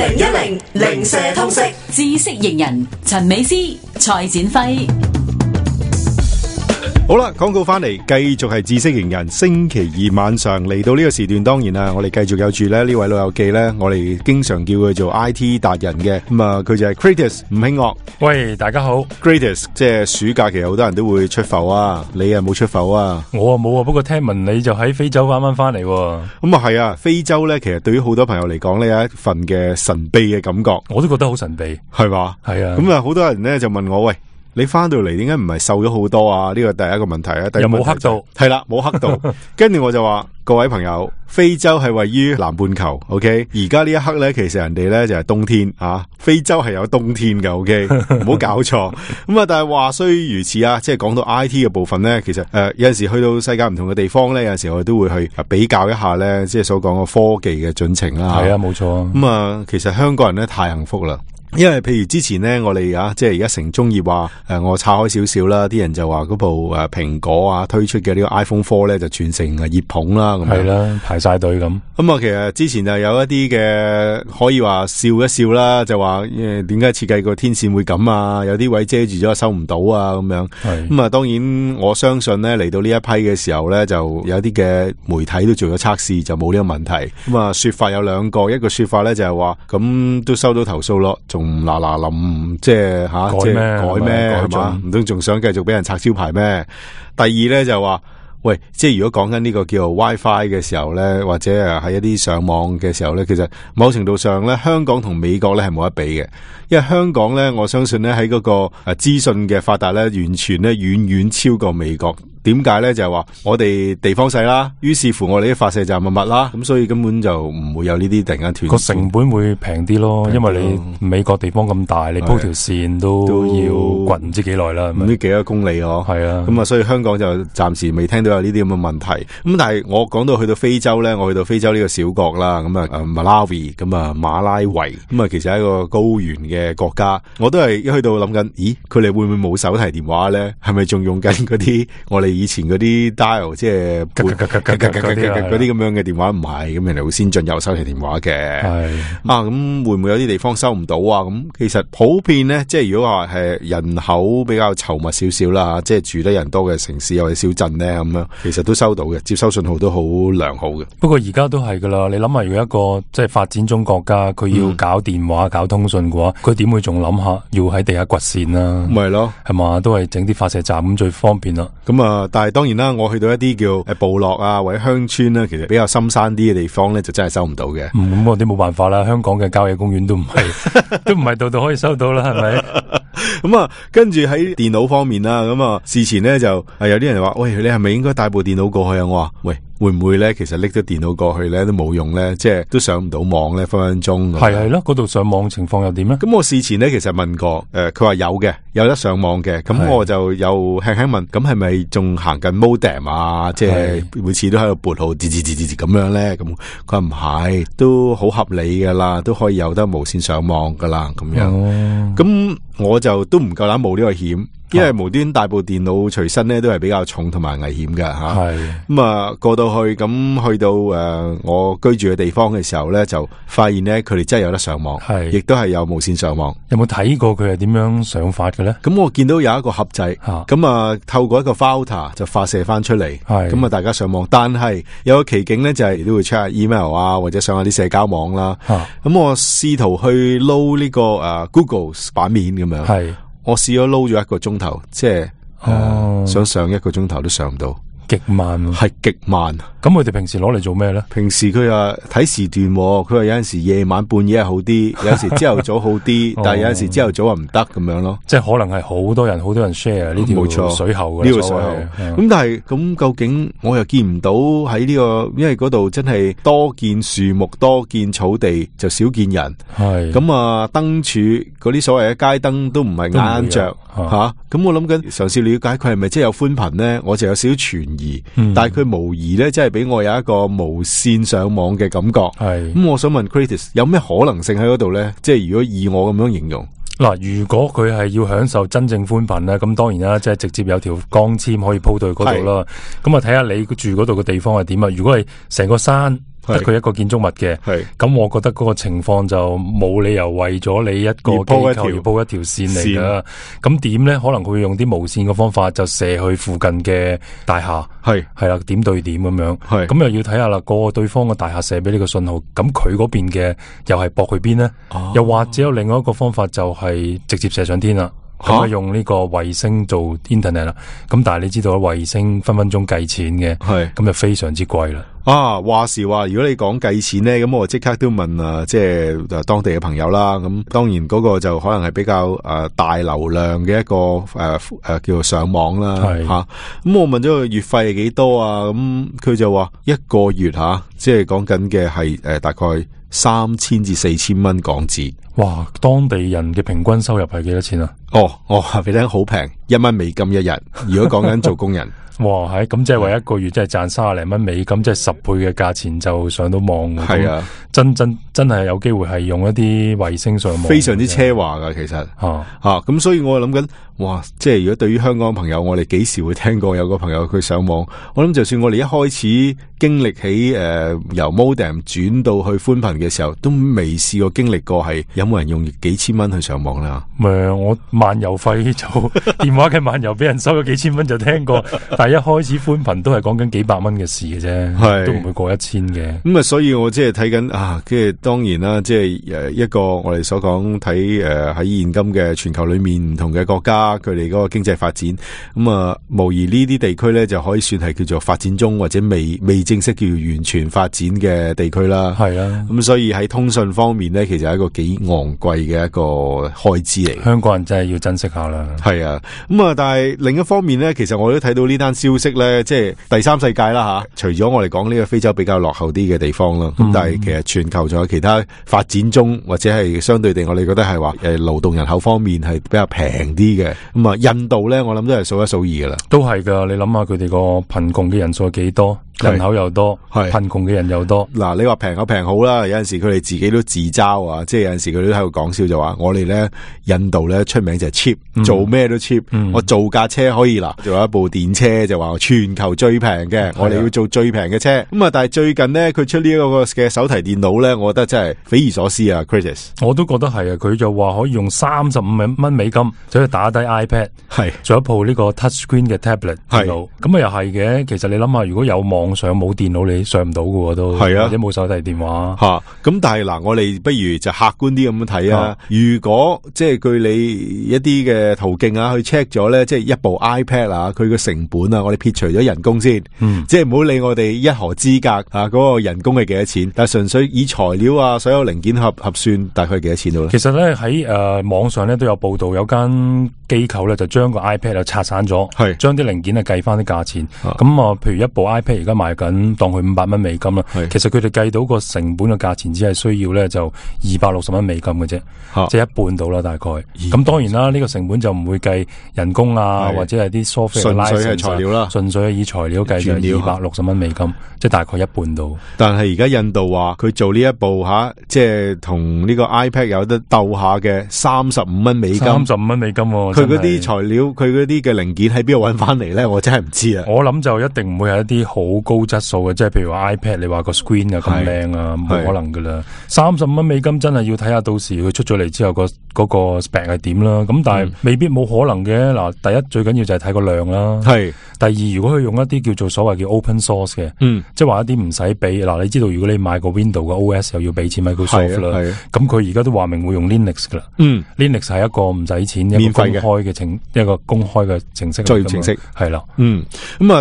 2010零舍通識知識型人陳美詩、蔡展輝。好啦，廣告翻嚟，繼續係知識型人。星期二晚上嚟到呢個時段，當然啦，我哋繼續有住呢位老友記呢，我哋經常叫佢做 IT 達人嘅。咁啊，佢就係 Kratos 吳興岳。喂，大家好。Kratos 即係暑假期，好多人都會出埠啊，你啊冇出埠啊？我啊冇啊，不過聽聞你就喺非洲啱啱翻嚟。咁啊係啊，非洲呢，其實對於好多朋友嚟講呢，有一份嘅神秘嘅感覺。我都覺得好神秘，係嘛？係啊。咁啊，好多人呢就問我，喂，你翻到嚟點解唔係瘦咗好多啊？呢個第一個問題啊，有冇黑到？係啦，冇黑到。跟住我就話，各位朋友，非洲係位於南半球 ，OK？ 而家呢一刻咧，其實人哋咧就係冬天啊，非洲係有冬天嘅 ，OK？ 唔好搞錯。咁啊，但係話雖如此啊，即係講到 IT 嘅部分咧，其實有陣時去到世界唔同嘅地方咧，有陣時我哋都會去比較一下咧，即係所講嘅科技嘅進程啦。係啊，冇錯。咁啊，其實香港人咧太幸福啦。因為譬如之前咧，我哋即係而家城中熱話我岔開少少啦，啲人就話嗰部蘋果啊推出嘅呢個 iPhone 4咧就全城熱捧啦，咁係啦，排晒隊咁。咁啊，其實之前就有一啲嘅可以話笑一笑啦，就話點解設計個天線會咁啊？有啲位遮住咗收唔到啊，咁樣。咁啊，當然我相信咧嚟到呢一批嘅時候咧，就有啲嘅媒體都做咗測試，就冇呢個問題。咁啊，說法有兩個，一個說法咧就係話咁都收到投訴咯。仲嗱臨即係即係改咩係嘛？唔通仲想繼續俾人拆招牌咩？第二咧就話，喂，即係如果講緊呢個叫做 WiFi 嘅時候咧，或者喺一啲上網嘅時候咧，其實某程度上咧，香港同美國咧係冇得比嘅，因為香港咧，我相信咧喺嗰個資訊嘅發達咧，完全咧遠遠超過美國。點解咧？就係話我哋地方細啦，於是乎我哋啲發射站密啦，咁所以根本就唔會有呢啲突然間斷。個成本會平啲咯，因為你美國地方咁大，你鋪條線都要掘唔知幾耐啦，唔知幾多公里咯。係啊，咁啊，所以香港就暫時未聽到有呢啲咁嘅問題。咁但係我講到去到非洲咧，我去到非洲呢個小國啦，咁啊Malawi，咁啊馬拉維，咁啊其實係一個高原嘅國家，我都係一去到諗緊，咦，佢哋會唔會冇手提電話咧？係咪仲用緊嗰啲我哋以前嗰啲 dial 即係嗰啲咁樣嘅電話？唔係，咁人哋好先進有手提電話嘅。係咁會唔會有啲地方收唔到啊？咁其實普遍咧，即係如果話係人口比較稠密少少啦，即係住得人多嘅城市或者小鎮咧，咁樣其實都收到嘅，接收信號都好良好嘅。不過而家都係噶啦，你諗下，如果一個即係發展中國家，佢要搞電話、搞通訊嘅話，佢點會仲諗下要喺地下掘線啊？咪係咯，係嘛，都係整啲發射站咁最方便啦。咁啊，但係當然啦，我去到一啲叫部落啊或者鄉村啦，其實比較深山啲嘅地方咧，就真係收唔到嘅。咁我啲冇辦法啦，香港嘅郊野公園都唔係度度可以收到啦，係咪？咁啊，跟住喺電腦方面啦，咁啊，事前咧就有啲人話，喂，你係咪應該帶部電腦過去啊？我話，喂，會唔會咧？其實拎咗電腦過去咧都冇用咧，即係都上唔到網咧，分分鐘。係咯，嗰度上網情況又點咧？咁我事前咧其實問過，佢話有得上網嘅，咁我就又輕輕問，咁係咪仲行緊 modem 啊？即係每次都喺度撥號，字咁樣咧？咁佢話唔係，都好合理噶啦，都可以有得無線上網噶啦，咁樣。咁我就都唔夠膽冒呢個險。因為無端帶部電腦隨身咧，都係比較重同埋危險㗎吓。係咁啊，過到去咁去到我居住嘅地方嘅時候咧，就發現咧佢哋真係有得上網，係亦都係有無線上網。有冇睇過佢係點樣上法嘅咧？咁我見到有一個盒仔，咁啊透過一個 router 就發射翻出嚟，咁啊大家上網。但係有個奇景咧，就係都會 check 下 email 啊，或者上下啲社交網啦。咁我試圖去撈呢個Google 版面咁樣。係。我試咗撈咗1個鐘頭，即係想上1個鐘頭都上唔到，極慢，係極慢。咁佢哋平時攞嚟做咩咧？平時佢話睇時段，佢話有陣時夜晚半夜係好啲，有陣時朝頭早好啲，但係有陣時朝頭早話唔得咁樣咯。即係可能係好多人 share 呢條水喉嘅，呢個水喉。咁但係咁究竟我又見唔到喺呢個，因為嗰度真係多見樹木，多見草地，就少見人。係咁啊，燈柱嗰啲所謂嘅街燈都唔係啱着吓。咁我諗緊嘗試了解佢係咪真係有寬頻咧？我就有少少存疑，但係佢無疑咧，即係俾我有一個無線上網嘅感覺。係咁，我想問 Kratos 有咩可能性喺嗰度咧？即係如果以我咁樣形容。嗱，如果佢係要享受真正寬頻咧，咁當然啦，即係直接有條光纖可以鋪到去嗰度啦。咁啊，睇下你住嗰度嘅地方係點啊？如果係成個山得佢一個建築物嘅，咁我覺得嗰個情況就冇理由為咗你一個機構而鋪一條線嚟噶。咁點咧？可能佢會用啲無線嘅方法就射去附近嘅大廈，係啦，點對點咁樣。咁又要睇下啦，個對方嘅大廈射俾呢個信號，咁佢嗰邊嘅又係駁去邊咧？又或者有另外一個方法就係直接射上天啦。咁用呢個衛星做 internet 啦，咁但係你知道衛星分分鐘計錢嘅，咁就非常之貴啦。話時話，如果你講計錢咧，咁我即刻都問即係當地嘅朋友啦。咁當然嗰個就可能係比較大流量嘅一個叫做上網啦吓。咁我問咗佢月費係幾多啊？咁佢就話一個月即係講緊嘅係大概3000至4000蚊港紙。哇！當地人嘅平均收入係幾多錢啊？話俾你聽好平，1蚊美金一日。如果講緊做工人。哇，係咁即係話一個月即係賺30零蚊美金，即係10倍嘅價錢就上到網。係啊，真係有機會係用一啲衛星上網，非常之奢華噶，其實咁所以我諗緊，哇！即係如果對於香港朋友，我哋幾時會聽過有個朋友佢上網？我諗就算我哋一開始經歷起由 modem 轉到去寬頻嘅時候，都未試過經歷過係有冇人用幾千蚊去上網啦。我漫遊費就電話嘅漫遊俾人收咗幾千蚊就聽過，但係一開始寬頻都係講緊幾百蚊嘅事嘅啫，都唔會過1000嘅。咁所以我即係睇緊跟住當然啦，即係一個我哋所講睇喺現今嘅全球裏面唔同嘅國家，佢哋嗰個經濟發展，無疑呢啲地區咧就可以算係叫做發展中或者未正式叫完全發展嘅地區啦。係啊，咁所以喺通訊方面咧，其實係一個幾昂貴嘅一個開支嚟。香港人真係要珍惜下啦。係啊，但係另一方面咧，其實我都睇到呢單消息咧，即係第三世界啦除咗我哋講呢個非洲比較落後啲嘅地方啦，但係其實全球仲有其他發展中或者係相對地，我哋覺得係話勞動人口方面係比較平啲嘅。印度咧，我諗都係數一數二噶啦。都係噶，你諗下佢哋個貧窮嘅人數幾多？人口又多，貧窮嘅人又多。嗱，你話平有平好啦，有陣時佢哋自己都自嘲啊，即係有陣時佢都喺度講笑就話，我哋咧印度咧出名就係 cheap，做咩都 cheap。我做架車可以啦，做一部電車就話全球最平嘅，我哋要做最平嘅車。但係最近呢，佢出呢一個嘅手提電腦咧，我覺得真係匪夷所思啊 ，Chris。我都覺得係啊，佢就話可以用35蚊美金就可以打低 iPad， 做一部呢個 touch screen 嘅 tablet 電腦。咁又係嘅，其實你諗下，如果有網上冇電腦你上唔到嘅都，或者冇手提電話咁但係嗱，我哋不如就客觀啲咁樣睇啊。如果即係據你一啲嘅途徑去 check 咗咧，即係一部 iPad 佢個成本我哋撇除咗人工先，即係唔好理我哋一河之隔嗰個人工係幾多錢，但係純粹以材料所有零件核算大概幾多錢到咧？其實咧喺網上咧都有報道，有間機構咧就將個 iPad 拆散咗，將啲零件計翻啲價錢。咁譬如一部 iPad 而家賣緊當佢500蚊美金啦，其實佢哋計到個成本嘅價錢只係需要咧就260蚊美金嘅啫，即係一半到啦大概。咁當然啦，呢個成本就唔會計人工或者係啲 software， 純粹係材料啦，純粹係以材料計就260蚊美金，即係大概一半到。但係而家印度話佢做呢一部即係同呢個 iPad 有得鬥下嘅35蚊美金，35蚊美金，佢嗰啲材料，佢嗰啲嘅零件喺邊度搵翻嚟咧？我真係唔知啊！我諗就一定唔會係一啲好高質素嘅，即係譬如話 iPad， 你話個 screen 咁靚啊，冇可能噶啦。30蚊美金真係要睇下到時佢出咗嚟之後嗰個 spec 係點啦。咁但係未必冇可能嘅。嗱，第一最緊要就係睇個量啦。第二，如果佢用一啲叫做所謂叫 open source 嘅，即係話一啲唔使俾。嗱，你知道如果你買個 Windows 嘅 OS 又要俾錢 Microsoft 啦，咁佢而家都話明會用 Linux 噶啦。Linux 係一個唔使錢免費嘅一個公開嘅程式，作業程式係啦。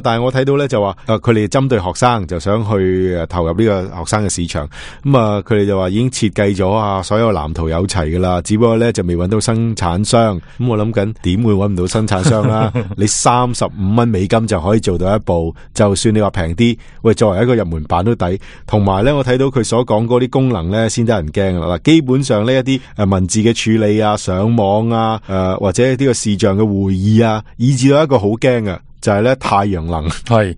但係我睇到咧就話佢哋針對學生就想去投入呢個學生嘅市場。佢哋就話已經設計咗所有藍圖有齊噶啦，只不過咧就未揾到生產商。我諗緊點會揾唔到生產商啦？你35蚊美金就可以做到一部，就算你話平啲，喂，作為一個入門版都抵。同埋咧，我睇到佢所講嗰啲功能咧，先得人驚啦。基本上呢一啲文字嘅處理上網或者呢個視像嘅會議以至到一個好驚嘅。就係咧太陽能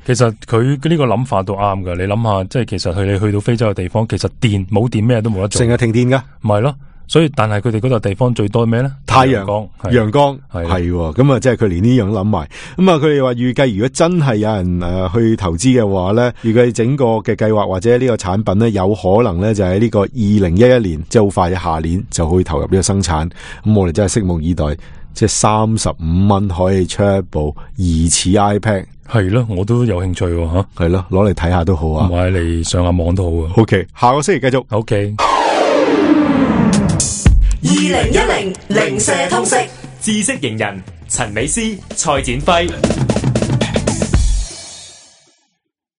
其實佢呢個諗法都啱噶。你諗下，即係其實你去到非洲嘅地方，其實冇電咩都冇得做，成日停電噶，唔係咯。所以但係佢哋嗰度地方最多咩咧？太陽光，陽光係咁啊，即係佢連呢樣諗埋。咁啊，佢哋話預計如果真係有人去投資嘅話咧，預計整個嘅計劃或者呢個產品咧，有可能咧就喺呢個2011年，即係好快嘅下年就可以投入呢個生產。咁我哋真係拭目以待，即係35蚊可以出一部疑似 iPad。係咯，我都有興趣吓。係咯，攞嚟睇下都好啊，買嚟上下網都好啊。OK， 下個星期繼續。OK。2010零舍通識知識型人陳美詩、蔡展輝。